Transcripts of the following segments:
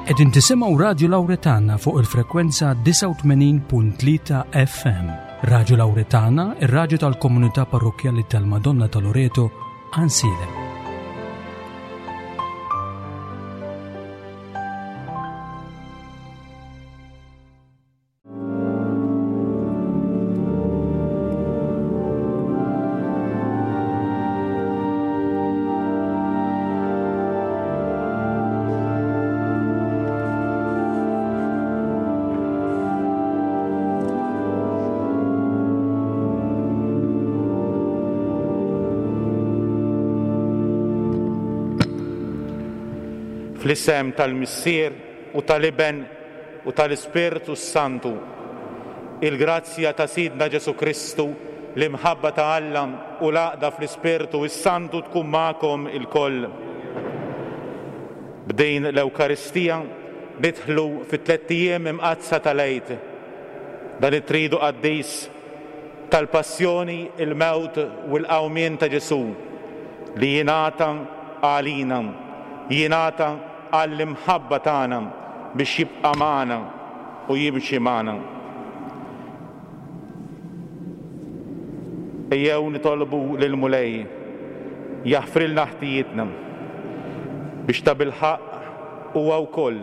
Qegħdin tisimgħu Radju Lawretana fuq il-frekwenza 89.3 FM. Radju Lawretana, ir-radju tal-komunità parrokkjali tal-Madonna ta' Loreto, Ansilem. Fl-isem tal-Missier u tal-Iben u tal-Ispirtu s-Santu. Il-grazzja ta' Sidna Ġesù Kristu, l-imħabba ta' Alla u l-għaqda fl-Ispirtu s-Santu tkun magħkom ilkoll. B'din l-Ewkaristija nidħlu fit-tlett ijiem imqaddsa tal-Għid, dan it-tridu qaddis tal-passjoni, il-mewt u l-qawmien ta' Ġesù li jingħata għalina, jingħata għall-imħabba tagħna biex jibqa' magħna u jimxi magħna. Ejjew nitolbu lill-Mulej jaħfrilna ħtijietna biex tabilħaqq huwa wkoll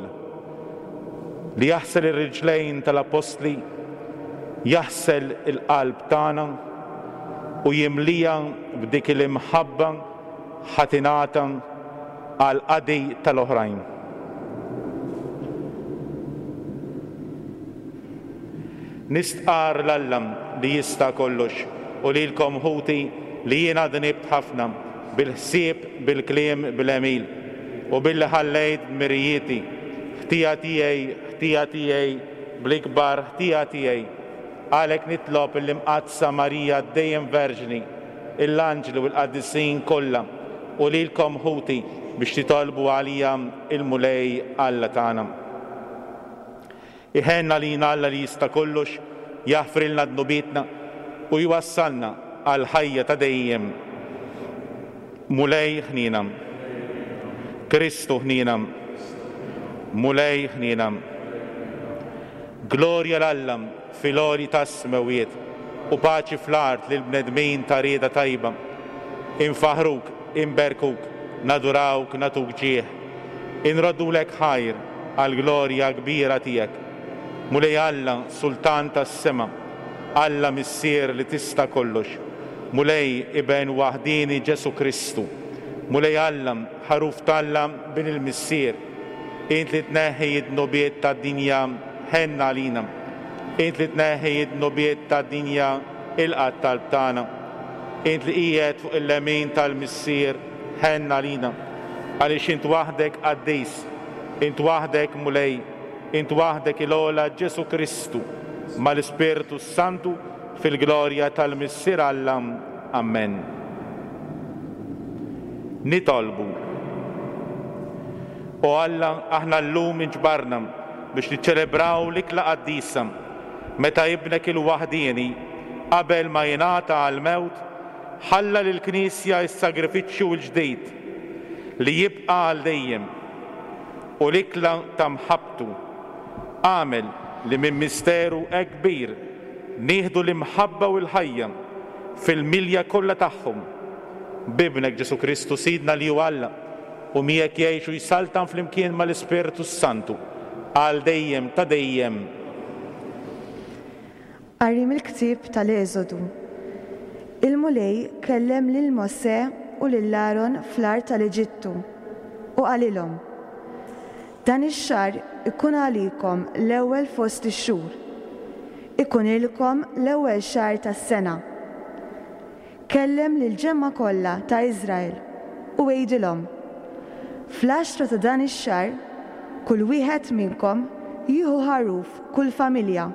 li jaħsel ir-riġlejn tal-appostli, jaħsel il-qalb tagħna u jimliha b'dik l-imħabba ħa tingħata għall-qadi tal-oħrajn. Nistqarr 'l Alla li jista' kollox u lilkom ħuti li jiena dnibt ħafna bil-ħsieb, bil-kliem, bl-għemil, u billi ħallejt dmirijieti. Ħtija tiegħi, ħtija tiegħi, bl-ikbar ħtija tiegħi. Għalhekk nitlob lill-Imqaddsa Marija dejjem Verġni, l-anġli u l-qaddisin kollha, u lilkom ħuti biex titolbu għalija l-Mulej Alla tagħna. Iħenn għalina Alla li jista' kollox, jaħfrilna dnubietna u jwassalna għall-ħajja ta' dejjem. Mulej ħniena. Kristu ħniena. Mulej ħniena. Glorja 'l Alla fil-għoli tas-smewwiet, u paċi fl-art lill-bnedmin ta' rieda tajba. Infaħħruk, inberkuk, nadurawk, nagħtuk ġieħ. Inroddulek ħajr għall-glorja kbira tiegħek. Mulej Alla, Sultan tas-sema, Alla Missier li tista' kollox, Mulej Iben waħdieni Ġesù Kristu, Mulej Alla, Ħaruf t'Alla, Bin il-Missier, Int li tneħħi d-dnubiet tad-dinja, ħenn għalina. Int li tneħħi d-dnubiet tad-dinja, ilqa' t-talb tagħna. Int li qiegħed fuq il-lemin tal-Missier, ħenn għalina. Għaliex int waħdek qaddis, int waħdek Mulej, int waħdek il-ogħla Ġesù Kristu, mal-Ispirtu s-Santu, fil-glorja tal-Missier Alla. Ammen. Nitolbu. O Alla, aħna llum inġbarna biex niċċelebraw l-ikla qaddisa, meta Ibnek il-waħdieni, qabel ma jingħata għall-mewt, ħalla lill-Knisja s-sagrifiċċju l-ġdid li jibqa' għal dejjem, u l-ikla ta' mħabbtu. Agħmel li minn misteru hekk kbir nieħdu l-imħabba u l-ħajja fil-milja kollha tagħhom. B'Ibnek Ġesù Kristu Sidna li hu Alla, u miegħek jgħix u jsaltan flimkien mal-Ispirtu s-Santu, għal dejjem ta' dejjem. Qari mill-ktieb tal-Eżodu. Il-Mulej kellem lil Mosè u lil Aron fl-art tal-Eġittu, u qalilhom, Dan ix-xahar ikun għalikom l-ewwel fost ix-xhur. Ikunilkom l-ewwel xahar tas-sena. Kellem lill-ġemgħa kollha ta' Iżrael u għidilhom, 'Fl-għaxra ta' dan ix-xahar, kull wieħed minnkom jieħu ħaruf kull familja,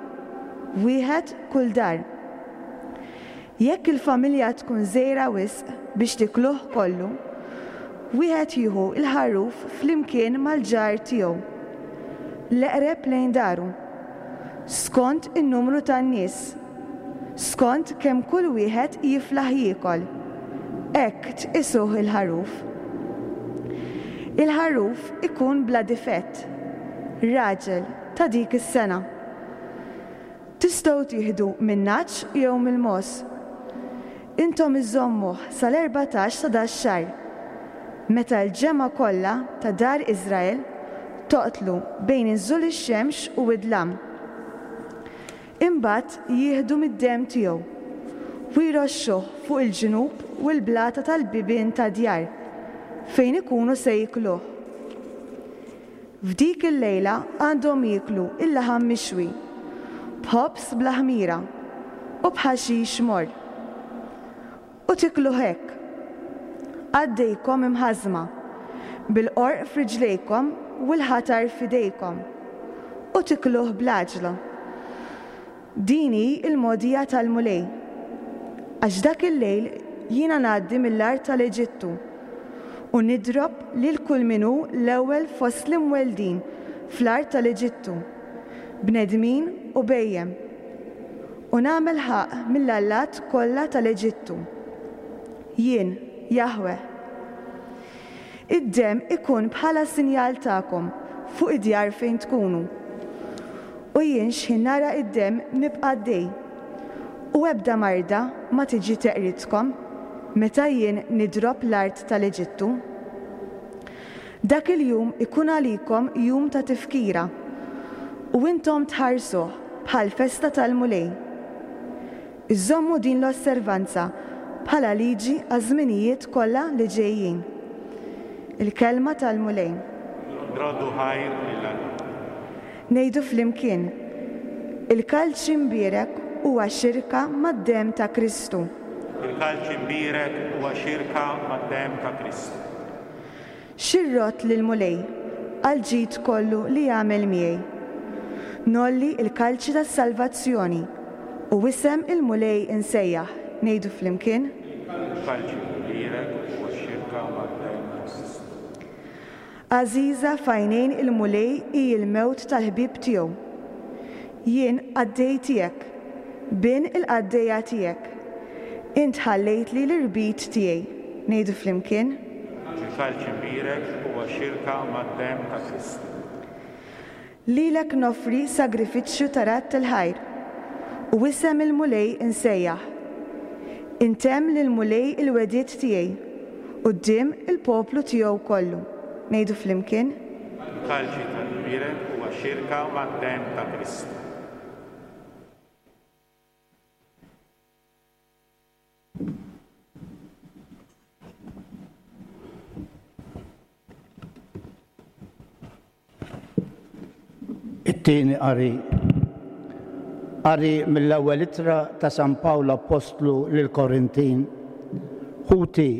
wieħed kull dar. Jekk il-familja tkun żgħira wisq biex tikluh kollu, wieħed jieħu l-ħaruf flimkien mal-ġar tiegħu, l-eqreb lejn daru, skont in-numru tan-nies, skont kemm kull wieħed jiflaħ jiekol, hekk tqisuh il-ħaruf. Il-ħaruf ikun bla difett. raġel, ta' dik is-sena. Tistgħu tieħdu min-nagħaġ jew mill-mogħoż. Intom iżżommuh sal-erbatax ta' dax-xahar, meta l-ġemgħa kollha ta' dar Iżrael toqtlu bejn inżul ix-xemx u d-dlam. Imbagħad jieħdu mid-demm tiegħu u jroxxuh fuq il-ġnub u l-blata tal-bibien tad-djar fejn ikunu se jikluh. F'dik il-lejla għandhom jieklu l-laħam mixwi, b'ħobż bla ħmira, u b'ħaxix morr. U tikluh hekk, qaddejkom imħażżma, bil-qorq f'riġlejkom u l-ħatar f'idejkom, u tikluh bl-għaġla. Din hi l-mogħdija tal-Mulej. Għax dak il-lejl jiena ngħaddi mill-art tal-Eġittu, u nidrob lil kull min hu l-ewwel fost l-imweldin fl-art tal-Eġittu, bnedmin u bhejjem, u nagħmel ħaqq mill-allat kollha tal-Eġittu. Jien, Jaħweh. Id-demm ikun bħala sinjal tagħkom fuq id-djar fejn tkunu. U jien x'ħin nara d-demm nibqa' għaddej, u ebda marda ma tiġi teqridkom meta jien nidrob l-art tal-Eġittu. Dak il-jum ikun għalikom jum ta' tifkira, u intom tħarsuh bħal festa tal-Mulej. Iżommu din l-osservanza bħala liġi għaż-żminijiet kollha li ġejjin. Il-Kelma tal-Mulej. Nroddu ħajr lil Alla. Ngħidu flimkien, Il-kalċi mbierek huwa xirka mad-demm ta' Kristu. Il-kalċi mbierek huwa xirka mad-demm ta' Kristu. Xi rrodd lill-Mulej għall-ġid kollu li għamel miegħi? Ngħolli l-kalċi tas-salvazzjoni u isem il-Mulej insejjaħ, ngħidu flimkien. Il-kalċi mbierek huwa xirka mad-demm ta' Kristu. Għażiża f'għajnejn il-Mulej hi l-mewt tal-ħbieb tiegħu. Jien qaddej tiegħek, bin il-qaddejja tiegħek. Int ħallejtli l-irbit tiegħi. Ngħidu flimkien. Il-kalċi mbierek huwa xirka mad-demm ta' Kristu. Lilek noffri sagrifiċċju ta' radd il-ħajr, u isem il-Mulej insejjaħ. Intemm lill-Mulej il-wegħdiet tiegħi quddiem il-poplu tiegħu kollu. Ngħidu flimkien. Il-kalċi tal-imbierek huwa xirka mad-demm ta' Kristu. It-tieni qari. Qari mill-ewwel ittra ta' San Pawl Appostlu lill-Korintin. Ħuti,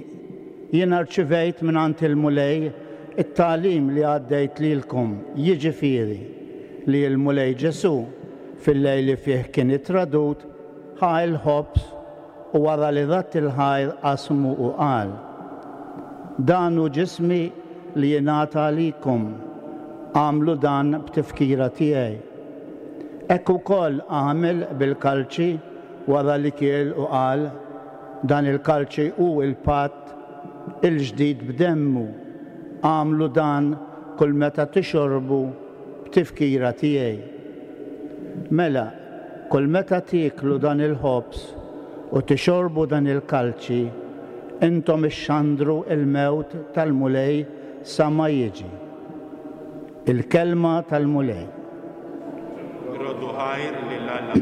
jiena rċivejt mingħand il-Mulej it-tagħlim li għaddejt lilkom, jiġifieri, li l-Mulej Ġesù, fil-lejl li fih kien ittradut, ħa l-ħobż u wara li radd il-ħajr qasmu u qal, Dan hu ġismi li jingħata għalikom, agħmlu dan b'tifkira tiegħi. Hekk ukoll għamel bil-kalċi wara li kiel u qal, Dan il-kalċi hu l-patt il-ġdid b'demmu, agħmlu dan kull meta tixorbu b'tifkira tiegħi. Mela, kull meta tieklu dan il-ħobż u tixorbu dan il-kalċi, intom ixxandru l-mewt tal-Mulej sa ma jiġi. Il-Kelma tal-Mulej. Roddu ħajr lil Alla.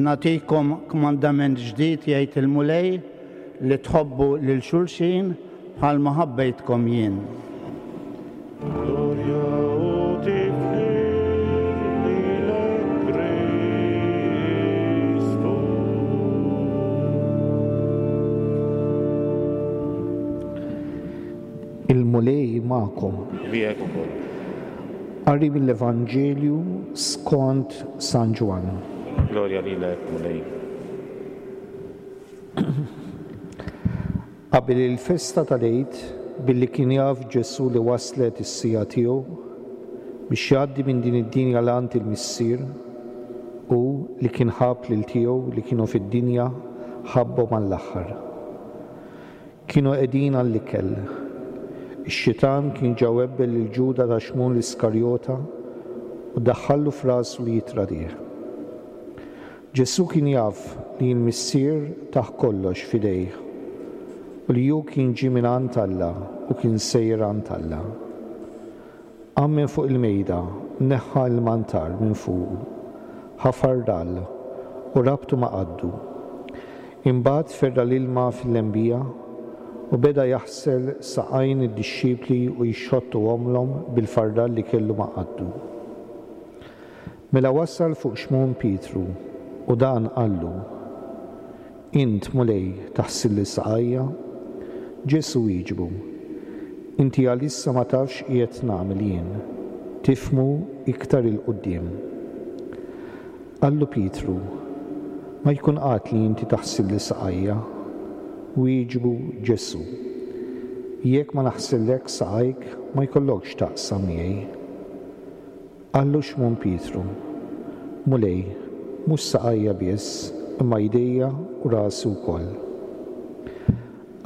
Nagħtikom kmandament ġdid jgħid il-Mulej li tħobbu lil xulxin Bħalma ħabbejtkom jien. Glorja u tifħir lilek Kristu. Il-Mulej magħkom. Miegħek ukoll. Qari mill-Evanġelju skont San Ġwann. Glorja lilek, Mulej. Qabel il-festa tal-Għid, billi kien jaf Ġesù li waslet is-siegħa tiegħu biex jgħaddi minn din id-dinja 'l għand il-Missier, hu li kien ħabb lil tiegħu li kienu fid-dinja ħabbhom għall-aħħar. Kienu qegħdin għall-ikel. Ix-xitan kien ġa webbel lil Ġuda ta' Xmun l-Iskarjota u daħħallu f'rasu li jittradih. Ġesù kien jaf li l-Missier tah kollox f'idejh u li hu kien ġie mingħand Alla u kien sejjer għand Alla. Qam minn fuq il-mejda, neħħa l-mantar minn fuqu, ħafar rall, u rabtu ma' qaddu. Imbagħad ferra' l-ilma fil-lembija u beda jaħsel saqajn id-dixxipli u jxottuhomlhom bil-farral li kellu ma' qaddu. Mela wasal fuq Xmun Pietru, u dan qallu, Int, Mulej, taħsilli saqajja? Ġesù wieġbu, Inti għalissa ma tafx x'qiegħed nagħmel jien, tifhmu iktar 'il quddiem. Qallu Pietru, Ma jkun qatt li inti taħsilli saqajja. Wieġbu Ġesù, Jekk ma naħsillekx saqajk, ma jkollokx x'taqsam miegħi. Qallu Xmun Pietru, Mulej, mhux saqajja biss, imma jdejja u rasi wkoll.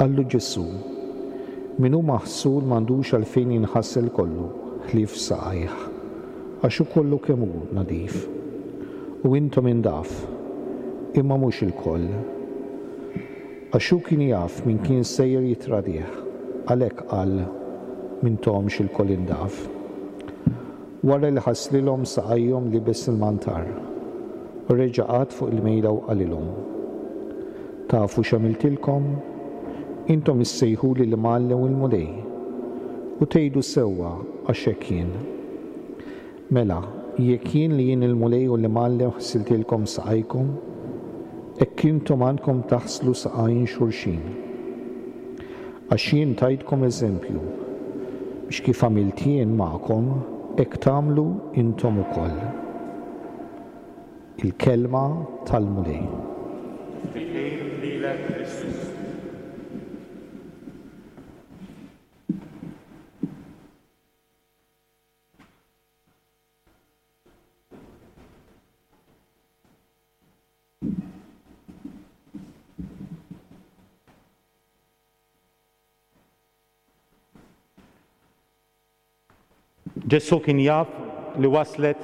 Qallu Ġesù, Min hu maħsul m'għandux għalfejn jinħasel kollu, ħlief saqajh, għax hu kollu kemm hu nadif. U intom indaf, imma mhux ilkoll. Għax hu kien jaf min kien sejjer jittradih, għalhekk qal, M'intomx ilkoll indaf. Wara li ħaslilhom saqajhom libes il-mantar, u reġa' qagħad fuq il-mejda u qalilhom, Tafu x'għamiltilkom? Intom issejħuli l-Imgħallem u l-Mulej, u tgħidu sewwa għax hekk jien. Mela, jekk jien li jien il-Mulej u l-Imgħallem ħsiltilkom saqajkom, hekk intom għandkom taħslu saqajn xulxin. Għax jien tajtkom eżempju, biex kif għamilt jien magħkom, hekk tagħmlu intom ukoll. Il-Kelma tal-Mulej. Tifħir lilek Kristu. Ġesù kien jaf li waslet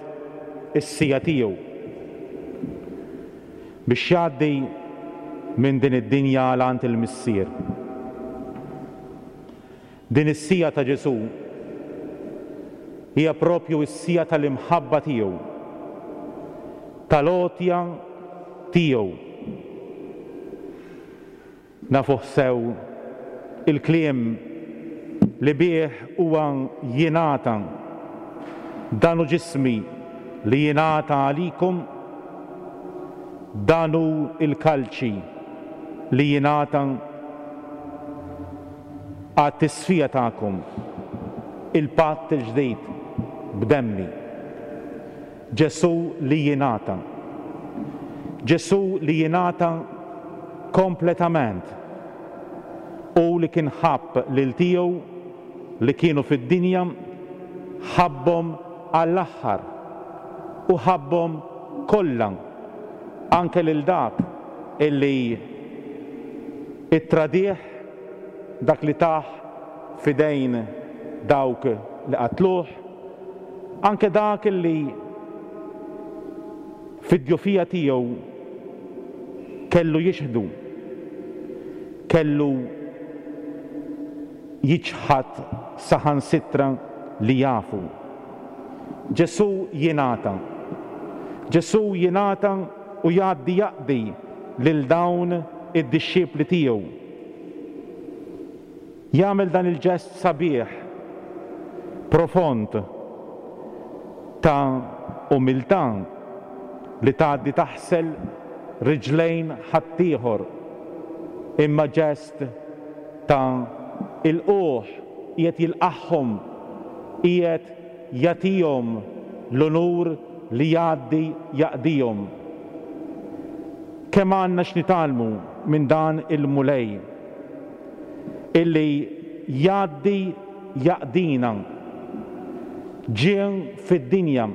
is-siegħa tiegħu biex jgħaddi minn din id-dinja għal għand il-Missier. Din is-siegħa ta' Ġesù hija proprju s-siegħa tal-imħabba tiegħu, tal-għotja tiegħu. Nafuh sew il-kliem li bih huwa jingħata, Dan hu ġismi li jingħata għalikom, dan hu l-kalċi li jingħata għat-tisfija tagħkom, il-patt il-ġdid b'demmi. Ġesù li jingħata. Ġesù li jingħata kompletament. Hu li kien ħabb lil tiegħu li kienu fid-dinja, ħabbhom għall-aħħar u ħabbhom kollha, anke lil dak illi ttradih, dak li tah f'idejn dawk li qatluh, anke dak li fid-djufija tiegħu kellu jixhdu, kellu jiċħad saħansitra li jafu. Ġesù jingħata. Ġesù jingħata u jgħaddi jaqdi lil dawn id-dixxipli tiegħu. Jagħmel dan il-ġest sabiħ, profond, ta' umiltà li tgħaddi taħsel riġlejn ħaddieħor, imma ġest ta' ilqugħ, qiegħed jilqagħhom, qiegħed jagħtihom l-unur li jgħaddi jaqdihom. Kemm għandna x'nitgħallmu minn dan il-Mulej! Illi jgħaddi jaqdina. Ġie fid-dinja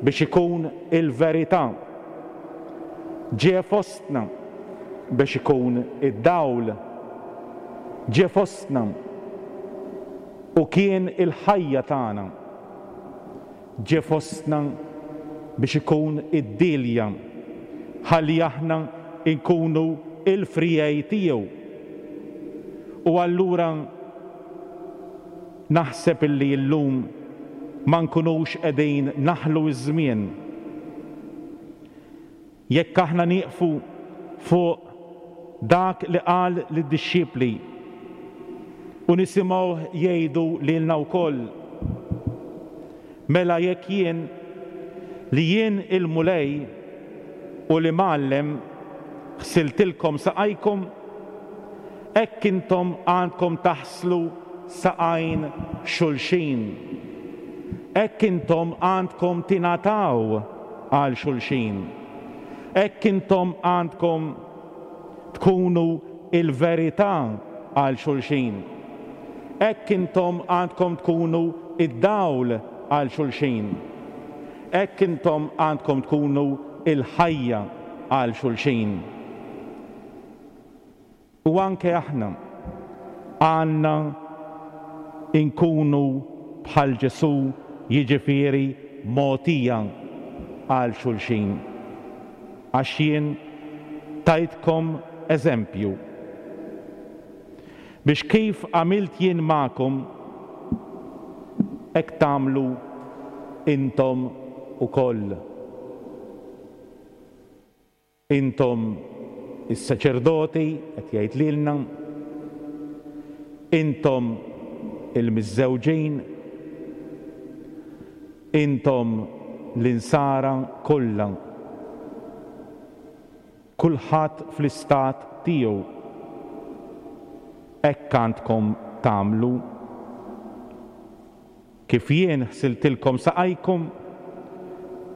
biex ikun il-verità. Ġie fostna biex ikun id-dawl. Ġie fostna u kien il-ħajja tagħna. Ġie fostna biex ikun id-dielja ħalli aħna nkunu l-friegħi tiegħu. U allura naħseb illi llum ma nkunux qegħdin naħlu ż-żmien. Jekk aħna nieqfu fuq dak li qal lid-dixxipli u nisimgħuh jgħidu lilna wkoll, Mela jekk jien, li jien il-Mulej u l-Imgħallem, ħsiltilkom saqajkom, hekk intom għandkom taħslu saqajn xulxin. Hekk intom għandkom tingħataw għal xulxin. Hekk intom għandkom tkunu l-verità għal xulxin. Hekk intom għandkom tkunu d-dawl għal xulxin. Hekk intom għandkom tkunu l-ħajja għal xulxin. U anke aħna għandna nkunu bħal Ġesù, jiġifieri mogħtija għal xulxin. Għax jien tajtkom eżempju, biex kif għamilt jien magħkom, hekk tagħmlu intom ukoll. Intom is-saċerdoti, qed jgħid lilna, intom il-miżżewġin, intom l-insara kollha, kulħadd fl-istat tiegħu, hekk għandkom tagħmlu. Kif jien ħsiltilkom saqajkom,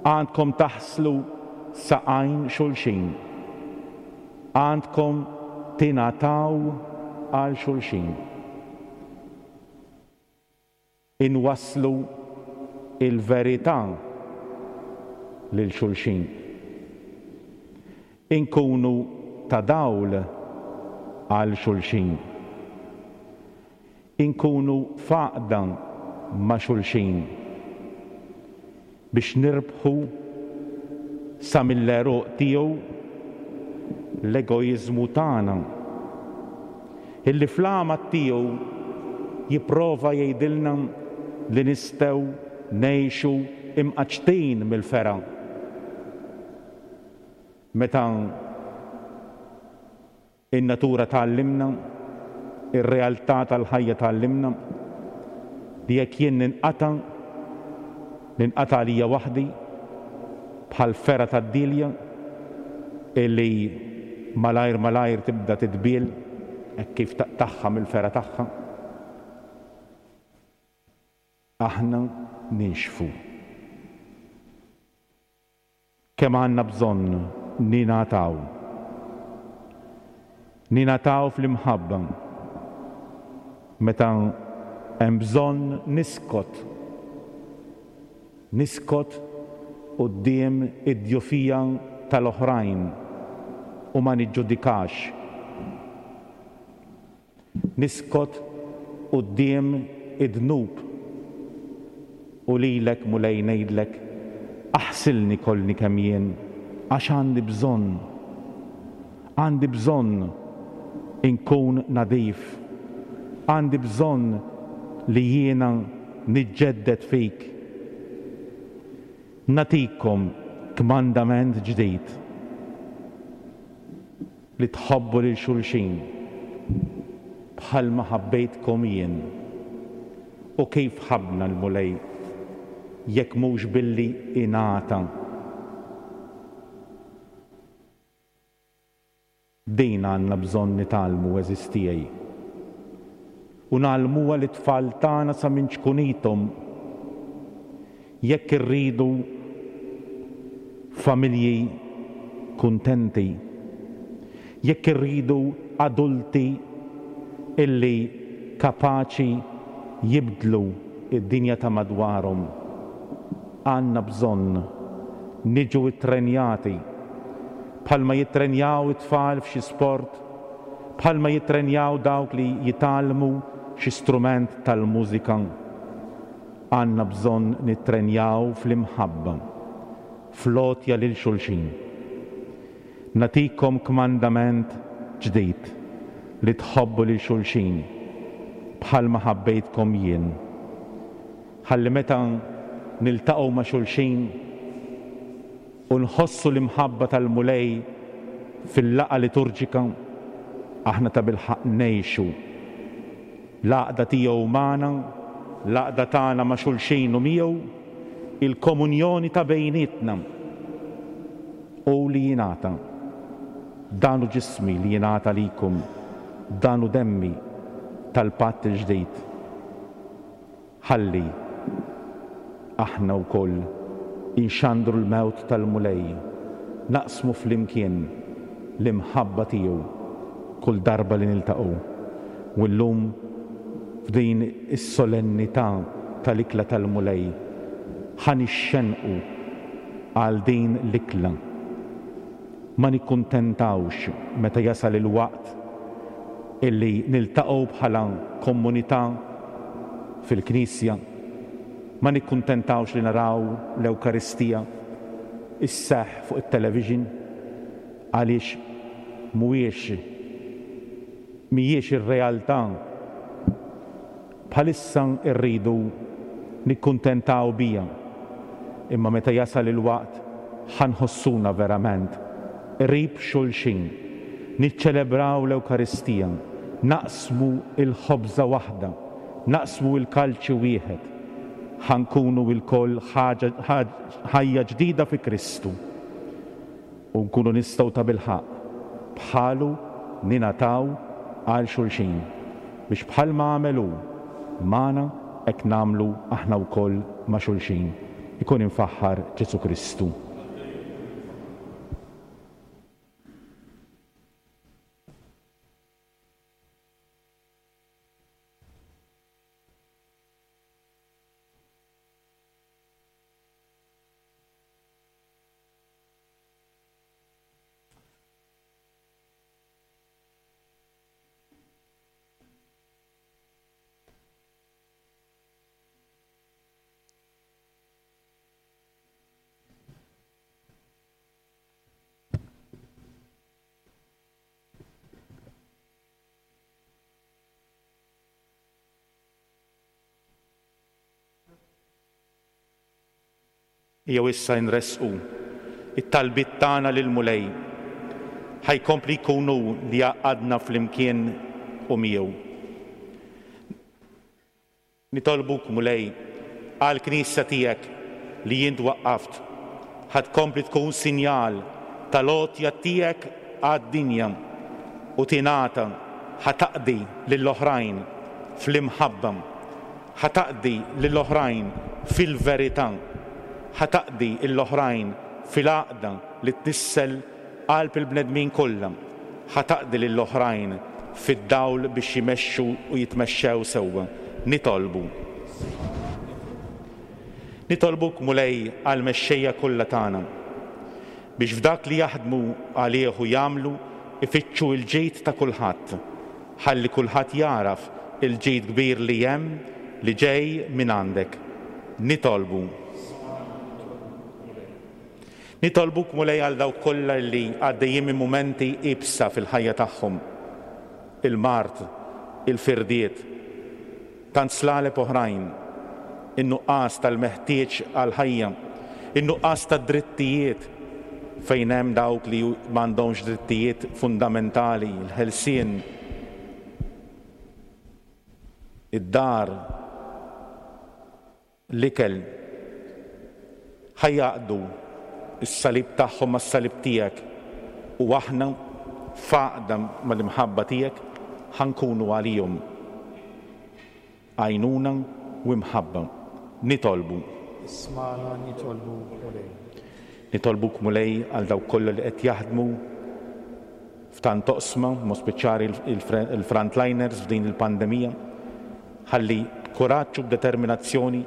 għandkom taħslu saqajn xulxin. Għandkom tingħataw għal xulxin. Inwasslu l-verità lil xulxin. Inkunu ta' dawl għal xulxin. Inkunu f'għaqda ma' xulxin biex nirbħu sa mill-għeruq tiegħu l-egoiżmu tagħna, illi fl-għamad tiegħu jipprova jgħidilna li nistgħu ngħixu imqaċċtin mill-fergħa. Meta In-natura tgħallimna, ir-realtà tal-ħajja tgħallimna, li jekk jien ninqata', ninqata' għalija waħdi, bħal fergħa tad-dielja li malajr malajr tibda titbiel hekk kif taqtagħha mill-fergħa tagħha. Aħna ninxfu. Kemm għandna bżonn ningħataw. Ningħataw fl-imħabba. Meta hemm bżonn niskot. Niskot quddiem id-djufija tal-oħrajn u ma niġġudikax. Niskot quddiem id-dnub u lilek, Mulej, ngħidlek, aħsilni kollni kemm jien, għax għandi bżonn, għandi bżonn inkun nadif, għandi bżonn li jiena niġġedded fik. Nagħtikom kmandament ġdid. Li tħobbu lil xulxin bħalma ħabbejtkom jien. U kif ħabbna l-Mulej jekk mhux billi ingħata? Din għandna bżonn nitgħallmu għeżież tiegħi. U ngħallmuha lit-tfal tagħna sa minn ċkunithom. Jekk irridu familji kuntenti, jekk irridu adulti illi kapaċi jibdlu d-dinja ta' madwarhom. Għandna bżonn niġu ttrenjati bħalma jittrenjaw it-tfal f'xi sport, bħalma jittrenjaw dawk li jitgħallmu xi strument tal-mużika. Għandna bżonn nittrenjaw fl-imħabba, fl-għotja lil xulxin. Nagħtikom kmandament ġdid, li tħobbu lil xulxin bħalma ħabbejtkom jien. Ħalli meta niltaqgħu ma' xulxin u nħossu l-imħabba tal-Mulej fil-laqgħa liturġika, aħna tabilħaqq ngħixu l-għaqda tiegħu magħna, l-għaqda tagħna ma' xulxin u miegħu, il-komunjoni ta' bejnietna u li jingħata. Dan hu ġismi li jingħata għalikom, dan hu demmi tal-patt il-ġdid. Ħalli aħna wkoll inxandru l-mewt tal-Mulej, naqsmu flimkien l-imħabba tiegħu kull darba li niltaqgħu. U llum f'din is-solennità tal-Ikla tal-Mulej, ħa nixxennqu għal din l-ikla. Ma nikkuntentawx meta jasal il-waqt illi niltaqgħu bħala kommunità fil-knisja, ma nikkuntentawx li naraw l-Ewkaristija sseħħ fuq it-television għaliex mhuwiex mhijiex ir-realtà. Bħalissa rridu nikkuntentaw biha, imma meta jasal il-waqt ħa nħossuna verament qrib xulxin, niċċelebraw l-Ewkaristija, naqsmu l-ħobża waħda, naqsmu l-kalċi wieħed, ħa nkunu lkoll ħaġa ħajja ġdida fi Kristu. U nkunu nistgħu tabilħaqq bħalu ningħataw għal xulxin, biex bħalma għamel hu magħna hekk nagħmlu aħna wkoll ma' xulxin. Ikun imfaħħar Ġesù Kristu. Ejjew issa nressqu t-talbiet tagħna lill-Mulej. Ħa jkompli jkun hu li jgħaqqadna flimkien u miegħu. Nitolbuk, Mulej, għall-Knisja tiegħek li int waqqaft. Ħa tkompli tkun sinjal tal-għotja tiegħek għad-dinja u tingħata ħa taqdi lill-oħrajn fl-imħabba. Ħa taqdi lill-oħrajn fil-verità. Ħa taqdi l-oħrajn fil-għaqda li tnissel qalb il-bnedmin kollha. Ħa taqdi lill-oħrajn fid-dawl biex jimexxu u jitmexxew sewwa. Nitolbu. Nitolbuk, Mulej, għall-mexxejja kollha tagħna, biex f'dak li jaħdmu għalih u jagħmlu ifittxu l-ġid ta' kulħadd, Ħalli kulħadd jagħraf il-ġid kbir li hemm li ġej mingħandek. Nitolbu. Nitolbuk, Mulej, għal dawk kollha li għaddejjin minn mumenti iebsa fil-ħajja tagħhom, il-mard, il-firdiet, tant slaleb oħrajn, in-nuqqas tal-meħtieġ għall-ħajja, in-nuqqas tad-drittijiet fejn hemm dawk li m'għandhomx drittijiet fundamentali, il-ħelsien, id-dar, l-ikel. Ħa jgħaqqdu s-salib tagħhom mas-salib tiegħek u aħna, f'għaqda mal-imħabba tiegħek, ħa nkunu għalihom għajnuna u imħabba. Nitolbu. Ismagħna nitolbuk, Mulej. Nitolbuk, Mulej, għal dawk kollha li qed jaħdmu. F'tant oqsma, b'mod speċjali il-frontliners f'din il-pandemija, ħalli b'kuraġġ u b'determinazzjoni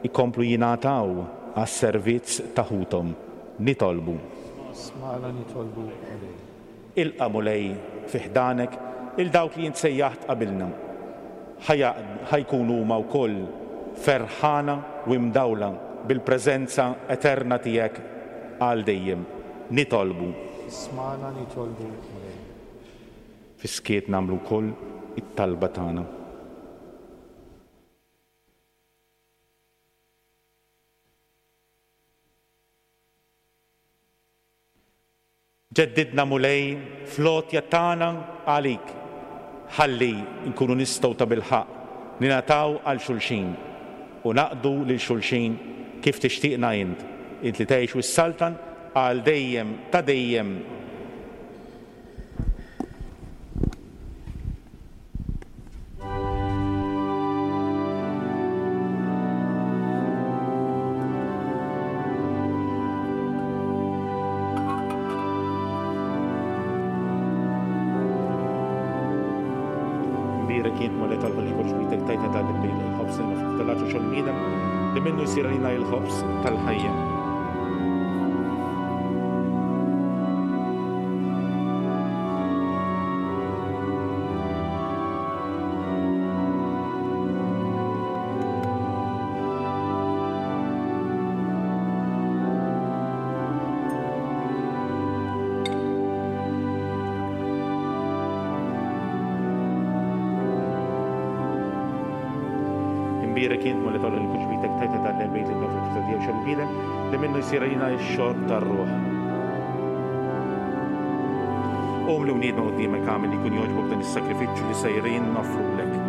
jkomplu jingħataw għas-servizz ta' ħuthom. Nitolbu. Smagħna nitolbu, Mulej. Ilqa', Mulej, fi ħdanek 'il dawk li int sejjaħt qabilna. Ħa jkunu huma wkoll ferħana u imdawla bil-preżenza eterna tiegħek għal dejjem. Nitolbu. Ismagħna nitolbu, Mulej. Fis-skiet nagħmlu wkoll it-talba tagħna. Ġeddidna Mulej fl-għotja tagħna għalik ħalli nkunu nistgħu tabilħaqq ningħataw għal xulxin u naqdu lil xulxin kif tixtieqna int, int li tgħix u ssaltan għal dejjem ta' dejjem. Imbierek int Mulej tal-ħolq kollox b'idek tajtna dan il-lejl il-ħobż li nofru tal-għaġu xogħol bniedem li minnu jsir għalina il-ħobż tal-ħajja. Imbierek int Mulej tal-ħolq kollox b'idek tajtna dan l-lejl li nofru tal-għaġu xogħol bniedem li minnu jsir għalina x-xorb tar-ruħ. Qum li wniedna quddiemek agħmel li jkun jogħġbok dan is-sagrifiċċju li sejrin noffrulek.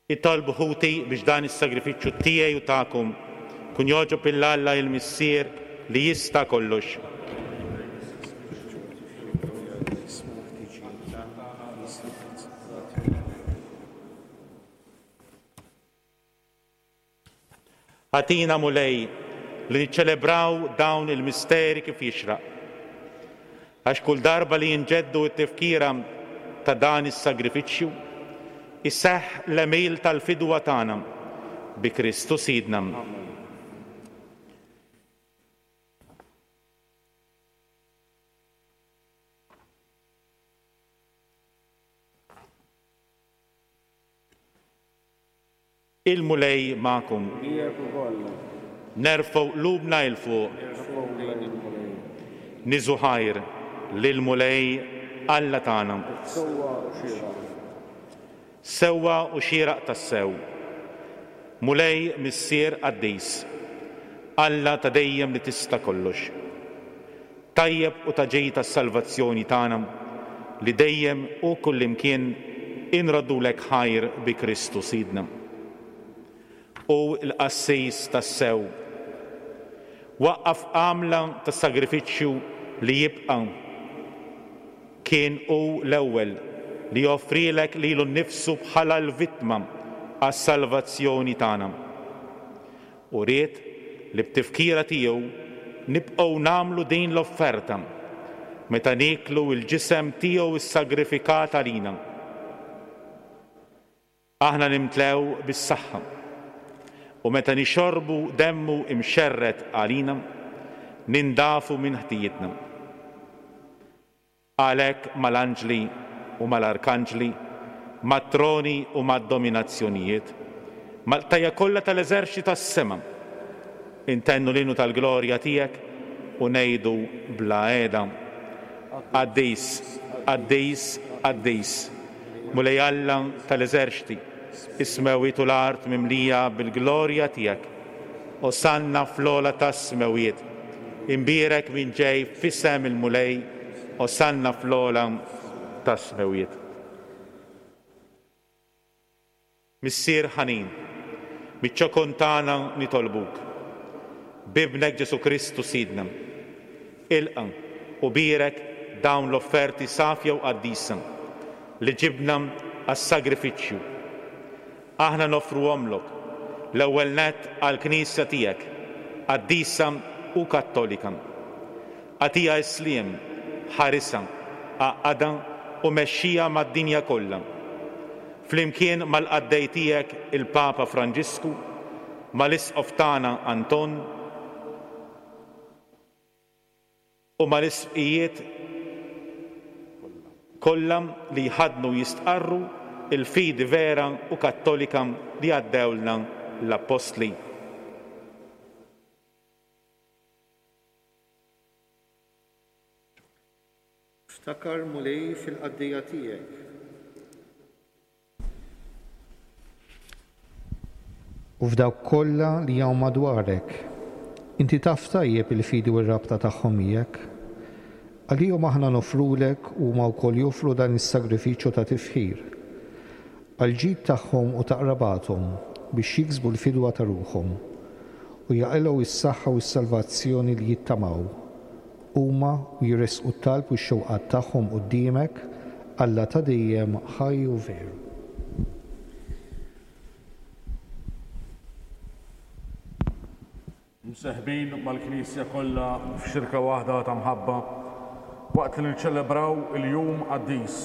Itolbu ħuti biex dan is-sagrifiċċju tiegħi u tagħkom kun jogħġob 'il Alla il-Missier li jista' kollox. Agħtina, Mulej, li niċċelebraw dawn il-misteri kif jixraq. Għax kull darba li jinġeddu t-tifkira ta' dan is-sagrifiċċju, iseħħ l-għemil tal-fidwa tagħna bi Kristu Sidna. Il-Mulej magħkom. Miegħek ukoll. Nerfgħu qlubna 'il fuq. Nerfgħu lejn il-Mulej. Niżu ħajr lill-Mulej Alla tagħna. Sewwa u xieraq. Sewwa u xieraq tassew. Mulej Missier qaddis, Alla ta' dejjem li tista' kollox. Tajjeb u ta' ġid għas-salvazzjoni tagħna li dejjem u kullimkien inroddulek ħajr bi Kristu Sidna. Hu l-qassis tassew. Waqqaf għamla ta' sagrifiċċju li jibqa'. Kien hu l-ewwel li offrielek lilu nnifsu bħala l-vittma għas-salvazzjoni tagħna. U ried li b'tifkira tiegħu nibqgħu nagħmlu din l-offerta meta nieklu l-ġisem tiegħu ssagrifikat għalina. Aħna nimtlew bis-saħħa, u meta nixorbu demmu imxerred għalina, nindafu minn ħtijietna. Għalhekk mal-anġli u mal-arkanġli, mat-troni u mad-dominazzjonijiet, mal-qtajja kollha tal-eżerċti tas-sema, intennu l-innu tal-glorja tiegħek u ngħidu bla heda, Qaddis, Qaddis, qaddis, Mulej Alla tal-eżerċti, is-smewwiet u l-art mimlija bil-glorja tiegħek. Osanna fl-ogħla tas-smewwiet. Imbierek min ġej f'isem il-Mulej, Osanna fl-ogħla tas-smewwiet. Missier ħanin, miċ-ċokon tagħna nitolbuk, b'Ibnek Ġesù Kristu Sidna, ilqa' u bierek dawn l-offerti safja u qaddisa li ġibna għas-sagrifiċċju. Aħna noffruhomlok, l-ewwel nett għall-Knisja tiegħek, qaddisa u kattolika. Agħtiha s-sliem, ħarisha, għaqqadha u mexxiha mad-dinja kollha. Flimkien mal-qaddej tiegħek il-Papa Franġisku, mal-Isqof tagħna Anton u mal-isqfijiet kollha li jħaddnu u jistqarru l-fidi vera u kattolika li għaddewlna l-Appostli. Ftakar, Mulej, fil-qaddejja tiegħek. U f'dawk kollha li hawn madwarek. Inti taf tajjeb il-fidi u r-rabta tagħhom miegħek. Għalihom aħna noffrulek u huma wkoll joffru dan is-sagrifiċċju ta' tifħir. Għall-ġid tagħhom u ta' qrabathom, biex jiksbu l-fidwa ta' ruħhom, u jaqilgħu s-saħħa u s-salvazzjoni li jittamaw, huma u jressqu t-talb u x-xewqat tagħhom quddiemek, Alla ta' dejjem, ħaj u veru. Mseħbin mal-Knisja kollha f'xirka waħda ta' mħabba, waqt li niċċelebraw il-jum qaddis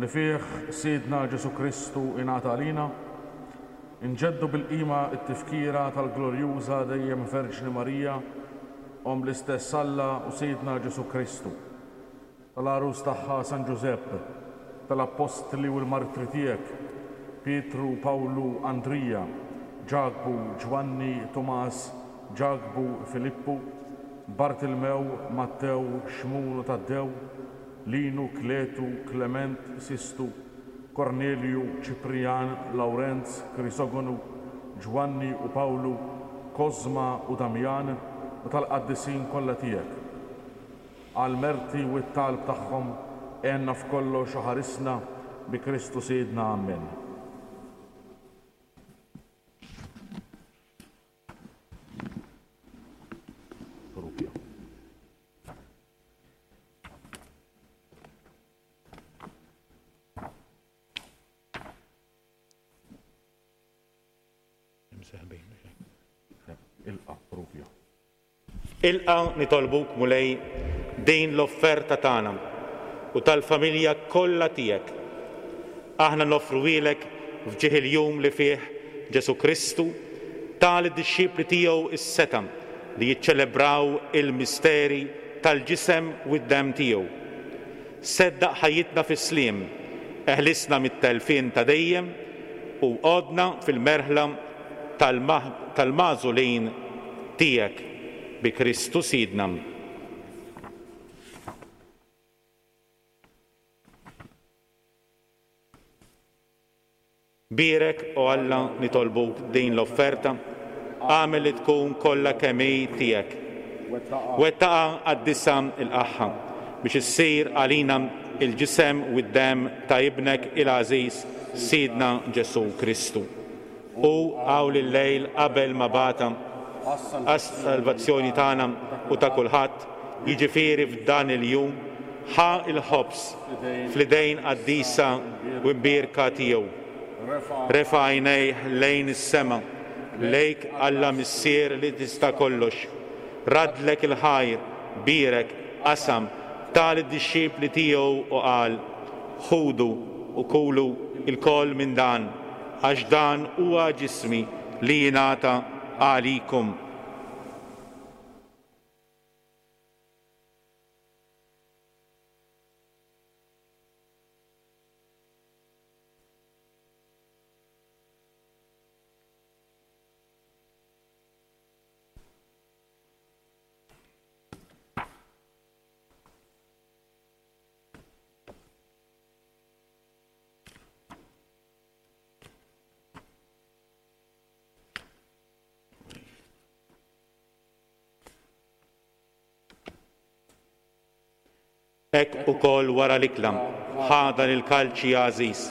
li fih Sidna Ġesù Kristu ingħata għalina, inġeddu bil-qima t-tifkira tal-glorjuża dejjem Verġni Marija, Omm l-istess Alla u Sidna Ġesù Kristu. Tal-għarus tagħha San Ġużepp, tal-appostli u l-martri tiegħek, Pietru, Pawlu, Andrija, Ġakbu, Ġwanni, Tumas, Ġakbu, Filippu, Bartilmew, Mattew, Xmun u Taddew, Linu, Kletu, Klement, Sistu, Kornelju, Ċiprijan, Lawrenz, Krisogonu, Ġwanni u Pawlu, Kosma u Damjan, u tal-qaddisin kollha tiegħek. Għall-merti u t-talb tagħhom għenna f'kollox u ħarisna bi Kristu Sidna. Ammen. Ilqa' Rubio. Ilqa', nitolbuk, Mulej, din l-offerta tagħna u tal-familja kollha tiegħek. Aħna noffruhielek f'ġieħ il-jum li fih Ġesù Kristu ta lid-dixxipli tiegħu s-setgħa li jiċċelebraw il-misteri tal-ġisem u d-demm tiegħu. Seddaq ħajjitna fis-sliem, eħlisna mit-telfien ta' dejjem u għodna fil-merħla tal-magħżulin tiegħek, bi Kristu Sidna. Bierek, o Alla, nitolbuk din l-offerta, agħmel li tkun kollha kemm hi tiegħek. Wettaqha qaddisha ilqagħha, biex issir għalina l-ġisem u d-demm ta' Ibnek il-għażiż, Sidna Ġesù Kristu. Hu hawn il-lejl qabel ma bagħatha għas-salvazzjoni tagħna u ta' kulħadd, jiġifieri f'dan il-jum, ħa l-ħobż fl-idejn qaddisa u mbierka tiegħu, refa' għajnejh lejn is-sema, lejk Alla Missier li tista' kollox, raddlek il-ħajr, bierek, qasam, ta lid-dixxipli tiegħu u qal, Ħudu u kulu lkoll minn dan, għax dan huwa ġismi li jingħata għalikom. Hekk ukoll wara l-ikla, ħa dan il-kalċi għażiż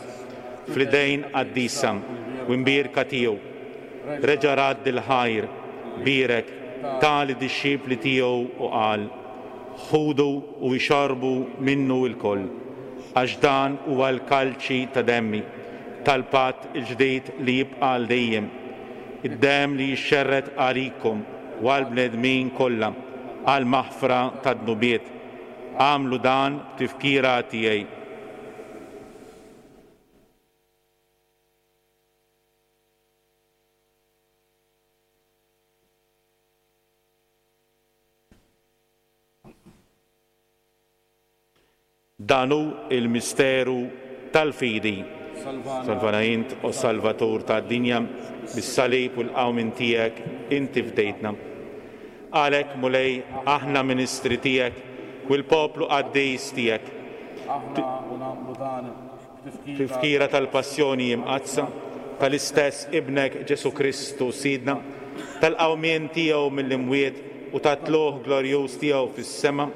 fl-idejn qaddisa u mbierka tiegħu. Reġa' radd il-ħajr, bierek, ta lid-dixxipli tiegħu u qal, Ħudu u ixorbu minnu lkoll, għax dan huwa l-kalċi ta' demmi, tal-patt il-ġdid li jibqa' għal dejjem, id-demm li jixxerred għalikom u għall-bnedmin kollha għall-maħfra tad-dnubiet. Agħmlu dan b'tifkira tiegħi. Dan hu l-misteru tal-fidi. Salvana int, o Salvatur tad-dinja, bis-salib u l-qawmien tiegħek inti fdejtna. Għalhekk, Mulej, aħna ministri tiegħek u l-poplu qaddis tiegħek. Aħna u nagħmlu dan B'tifkira tal-Passjoni Imqaddsa tal-istess Ibnek Ġesù Kristu Sidna, tal-qawmien tiegħu mill-imwiet u tat-tlugħ glorjuż tiegħu fis-sema,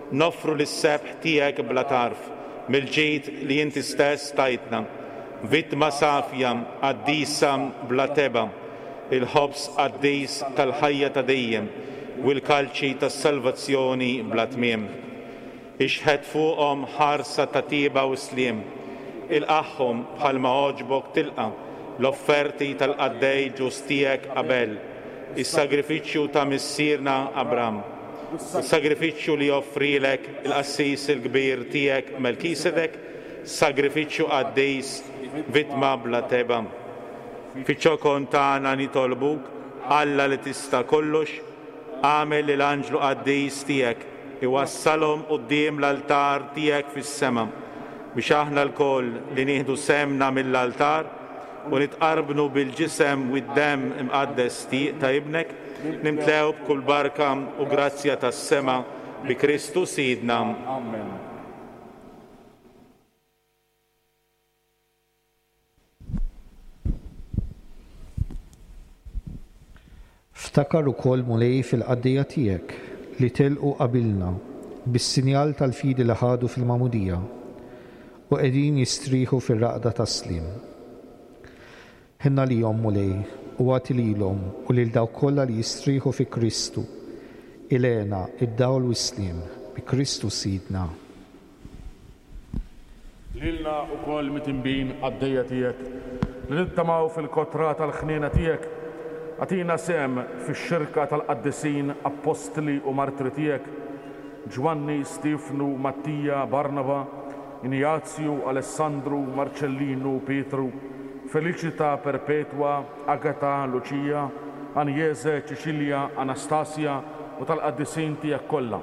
noffru lis-sebħ tiegħek bla tarf mill-ġid li inti stess tajtna, vittma safja, qaddisa, bla tebgħa, il-ħobż qaddis tal-ħajja ta' dejjem u l-kalċi tas-salvazzjoni bla tmiem. Ixħet fuqhom ħarsa ta' tjieba u sliem. Ilqagħhom bħalma għoġbok tilqa' l-offerti tal-qaddej ġust tiegħek Abel, is-sagrifiċċju ta' missierna Abram, u s-sagrifiċċju li offrielek il-qassis il-kbir tiegħek Melkisedek, sagrifiċċju qaddis, vittma bla tebgħa. Fiċ-ċokon tagħna nitolbuk, Alla li tista' kollox, agħmel li l-anġlu qaddis tiegħek iwassalhom quddiem l-altar tiegħek fis-sema, biex aħna lkoll li nieħdu sehemna mill-altar u nitqarbnu bil-Ġisem u d-Demm imqaddes ta' Ibnek, nimtlew b'kull barka u grazzja tas-sema bi Kristu Sidna. Amen. Ftakar ukoll, Mulej, fil-qaddejja tiegħek li telqu qabilna bis-sinjal tal-fidi li ħadu fil-magħmudija u qegħdin jistrieħu fir-raqda tas-sliem. Ħenn għalihom, Mulej, u agħti lilhom u lil dawk kollha li jistrieħu fi Kristu il-hena, id-dawl u s-sliem, bi Kristu Sidna. Lilna wkoll mitinbin qaddejja tiegħek, li nittamaw fil-kotra tal-ħniena tiegħek, agħtina sehem fix-xirka tal-qaddisin appostli u martri tiegħek, Ġwanni, Stiefnu, Mattija, Barnaba, Injazju, Alessandru, Marċellinu, Pietru, Feliċita, Perpetwa, Agata, Luċija, Anjese, Ċiċilja, Anastasja u tal-qaddisin tiegħek kollha.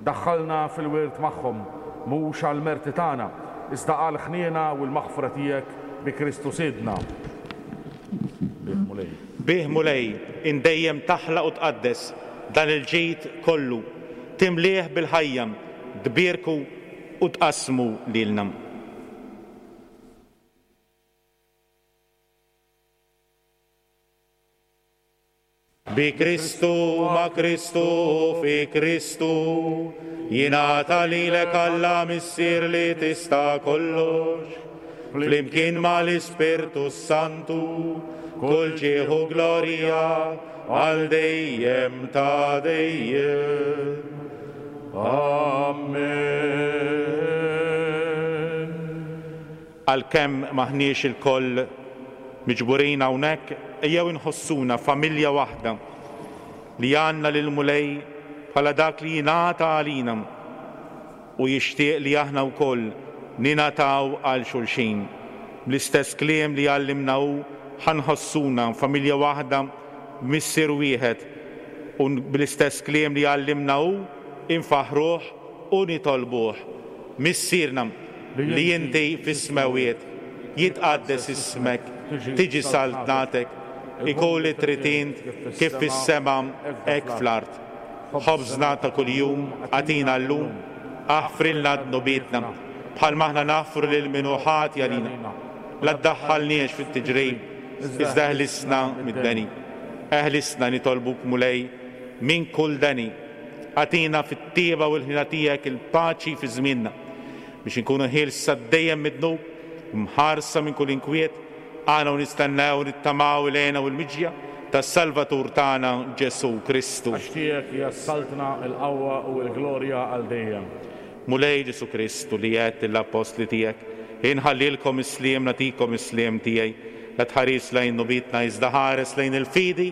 Daħħalna fil-wirt magħhom, mhux għall-merti tagħna, iżda għall-ħniena u l-maħfra tiegħek bi Kristu Sidna. Bih, Mulej. Bih, Mulej, int dejjem taħlaq u tqaddes dan il-ġid kollu, timlieh bil-ħajja, tbierku u tqassmu lilna. Bi Kristu, ma' Kristu u fi Kristu, jingħata lilek Alla Missier li tista' kollox, flimkien mal-Ispirtu s-Santu, kull ġieħ u glorja għal dejjem ta' dejjem. Amen. Għalkemm m'aħniex ilkoll miġburin hawnhekk, ejjew inħossuna familja waħda li għandna lill-Mulej bħala dak li jingħata għalina u jixtieq li aħna wkoll ningħataw għal xulxin. Bl-istess kliem li għallimna hu, ħa nħossuna familja waħda b'Missier wieħed u bl-istess kliem li għallimna hu, infaħħruh u nitolbuh, Missierna li inti fis-smewwiet, jitqaddes ismek, tiġi saltnatek, ikun li trid int kif fis-sema hekk fl-art. Ħobżna ta' kuljum agħtina llum, aħfrilna dnubietna, bħalma aħna naħfru lil min hu ħati għalina. La ddaħħalniex fit-tiġrib, iżda eħlisna mid-deni. Eħlisna, nitolbuk Mulej, minn kull deni. Agħtina fit-tjieba u l-ħniena tiegħek il-paċi fi żmienna, biex inkunu ħielsa dejjem mid-dnub u mħarsa minn kull inkwiet, aħna u nistennew u nittamaw il-hena u l-miġja tas-Salvatur tagħna Ġesù Kristu. Għax tiegħek hija s-saltna, il-qawwa u l-glorja għal dejjem. Mulej Ġesù Kristu, li għedt lill-appostli tiegħek, Inħallilkom is-sliem, nagħtikom is-sliem tiegħi, la tħarisx lejn dnubietna iżda ħares lejn il-fidi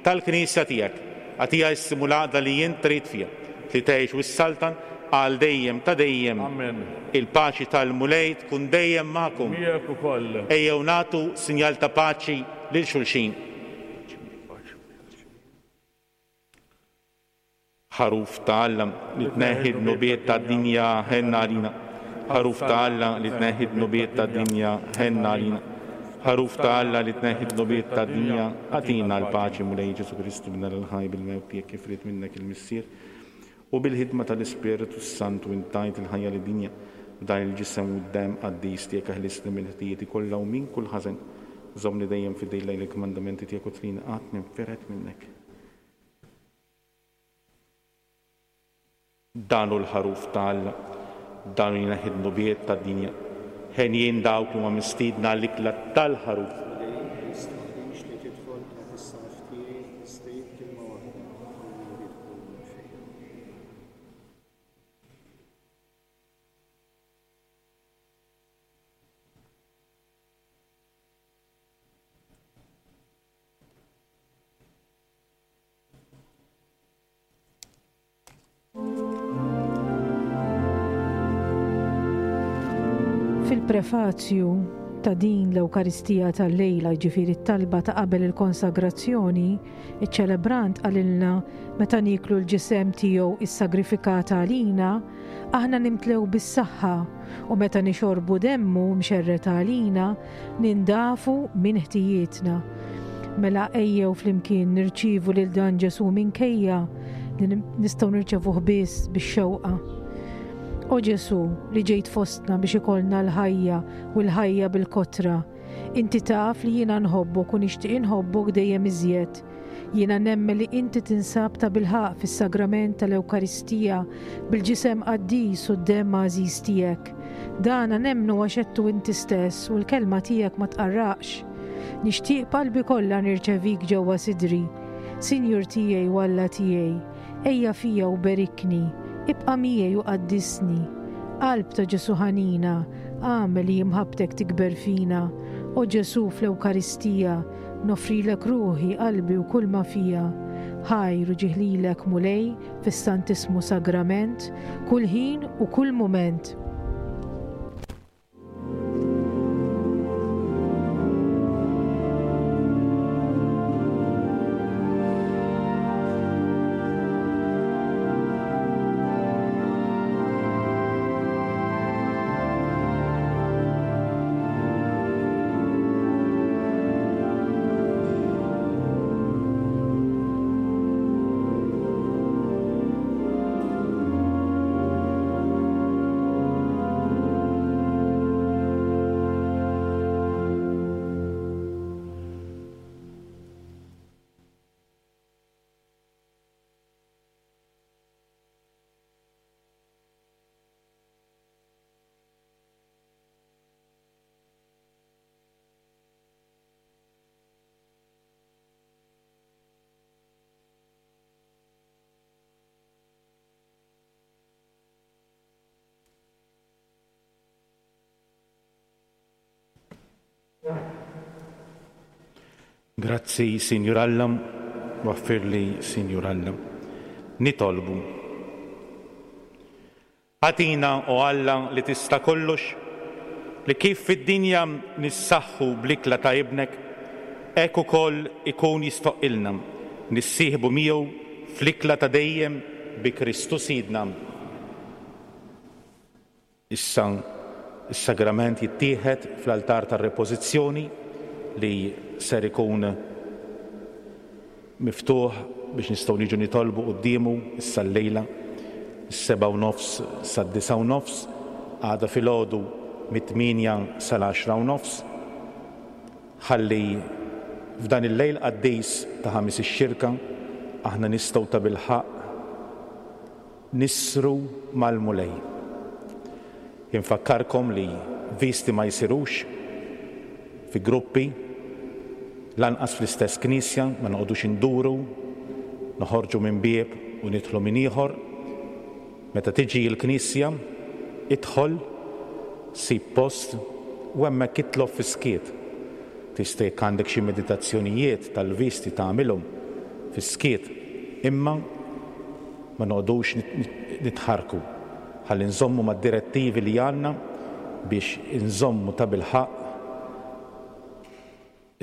tal-Knisja tiegħek. Agħtiha issim u l-għaqda li int trid fiha, li tgħix u ssaltan għal dejjem ta' dejjem. Amen. Il-paċi tal-Mulej tkun dejjem magħkom. Miegħek ukoll. Ejjew nagħtu sinjal ta' paċi lil xulxin. Ħaruf ta' Alla, li tneħħi d-dnubiet tad-dinja, ħenn għalina. Ħaruf ta' Alla, li tneħħi d-dnubiet tad-dinja, ħenn għalina. Ħaruf ta' Alla, li tneħħi d-dnubiet tad-dinja, agħtina l-paċi, Mulej Ġesù Kristu, Bin Alla l-ħaj, bil-mewt tiegħek kif ried minnek il-Missier, u bil-ħidma tal-Ispirtu s-Santu int tajt il-ħajja lid-dinja. B'dan il-Ġisem u d-Demm qaddis tiegħek eħlisni minn ħtijieti kollha u minn kull ħażen. Żommni dejjem fidil lejn il-kmandamenti tiegħek u trini qatt ninfired minnek. Dan hu l-Ħaruf ta' Alla, dan hu li jneħħi d-dnubiet tad-dinja. Henjin dawk li huma mistiedna għall-ikla tal-Ħaruf. Mulej, ma jistħoqqlix li tidħol taħt is-saqaf tiegħi, iżda għid kelma waħda u r-ruħi tkun mfejqa. Fil-prefazju ta' din l-Ewkaristija tal-lejla, jiġifieri t-talba ta' qabel il-konsagrazzjoni, iċ-ċelebrant qalilna meta nieklu l-ġisem tiegħu issagrifikat għalina, aħna nimtlew bis-saħħa u meta nixorbu demmu mxerred għalina, nindafu minn ħtijietna. Mela ejjew flimkien nirċievu lil dan Ġesù minkejja li nistgħu nirċevuh biss bix-xewqa. O Ġesù, li ġejt fostna biex ikollna l-ħajja u l-ħajja bil-kotra, inti taf li jiena nħobbok u nixtieq inħobbok dejjem iżjed. Jiena nemmen li inti tinsab tabilħaqq fis-Sagrament tal-Ewkaristija bil-Ġisem qaddis u d-Demm għażiż tiegħek. Dana nemmnu għax għedtu inti stess u l-kelma tiegħek ma tqarraqx. Nixtieq b'qalbi kollha nirċevik ġewwa sidri. Sinjur tiegħi u Alla tiegħi, ejja fija u berikni, ibqa' miegħi u qaddisni. Qalb ta' Ġesù ħanina, agħmel li imħabbtek tikber fina. O Ġesù fl-Ewkaristija, Noffrilek ruħi, qalbi u kulma fija. Ħajr u ġieħ lilek, Mulej, fis-Santissmu Sagrament, kull ħin u kull mument. Grazzi, Sinjur Alla, waffirli, Sinjur Alla. Nitolbu. Agħtina, o Alla li tista' kollox, li kif fid-dinja nissaħħu bl-ikla ta' Ibnek, hekk ukoll ikun jistħoqqilna nissieħbu miegħu fl-ikla ta' dejjem bi Kristu Sidna. Issa s-sagrament jittieħed fl-altar tar-repożizzjoni li ser ikun miftuħ biex nistgħu niġu nitolbu quddiemu issa llejla mis-sebgħa u nofs sad-disgħa u nofs, għada filgħodu mit-tmienja sal-għaxra u nofs. Ħalli f'dan il-lejl qaddis ta' Ħamis ix-Xirka aħna nistgħu tabilħaqq. Nissru mal-Mulej. Infakkarkom li visti ma jsirux fi gruppi, lanqas fl-istess knisja, ma noqogħdux induru, noħorġu minn bieb u nidħlu minn ieħor. Meta tiġi l-knisja, idħol, sib post u hemmhekk itlob fis-skiet. Tista' jekk għandek xi meditazzjonijiet tal-visti tagħmilhom fis-skiet, imma ma noqogħdux nitħarrku ħalli nżommu mad-direttivi li għandna biex inżommu tabilħaqq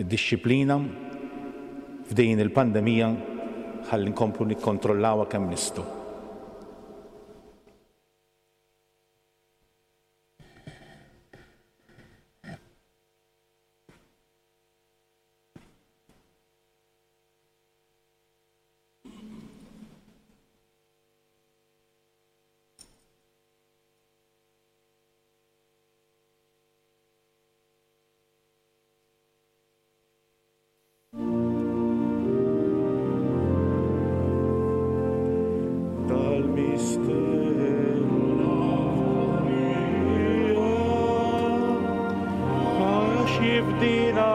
id-dixxiplina f'din il-pandemija ħalli nkomplu nikkontrollawha kemm nistgħu. Tal-misteru Għax jifdina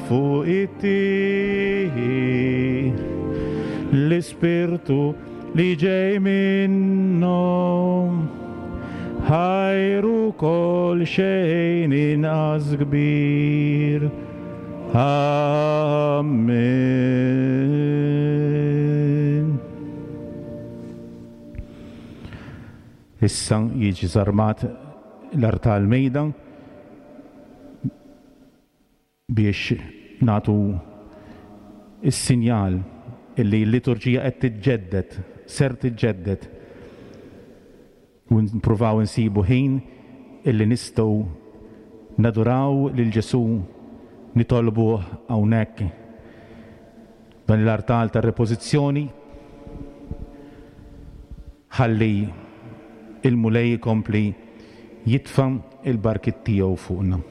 Fuq it-tieħi l-Ispirtu li ġej minnhom ħajru kol xejn inqas kbir. Amen. Issa jiġi żarmat l-artal mejda biex nagħtu s-sinjal illi l-liturġija qed tiġġedded, ser tiġġedded u npruvaw insibu ħin illi nistgħu naduraw lil Ġesù, nitolbuh hawnhekk f'dan l-artal tar-repożizzjoni ħalli l-Mulej ikompli jitfa' l-barkiet tiegħu fuqna.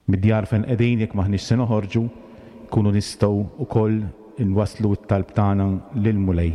Mid-djar fejn qegħdin jekk m'aħniex se noħorġu, nkunu nistgħu wkoll inwasslu t-talb tagħna lill-Mulej.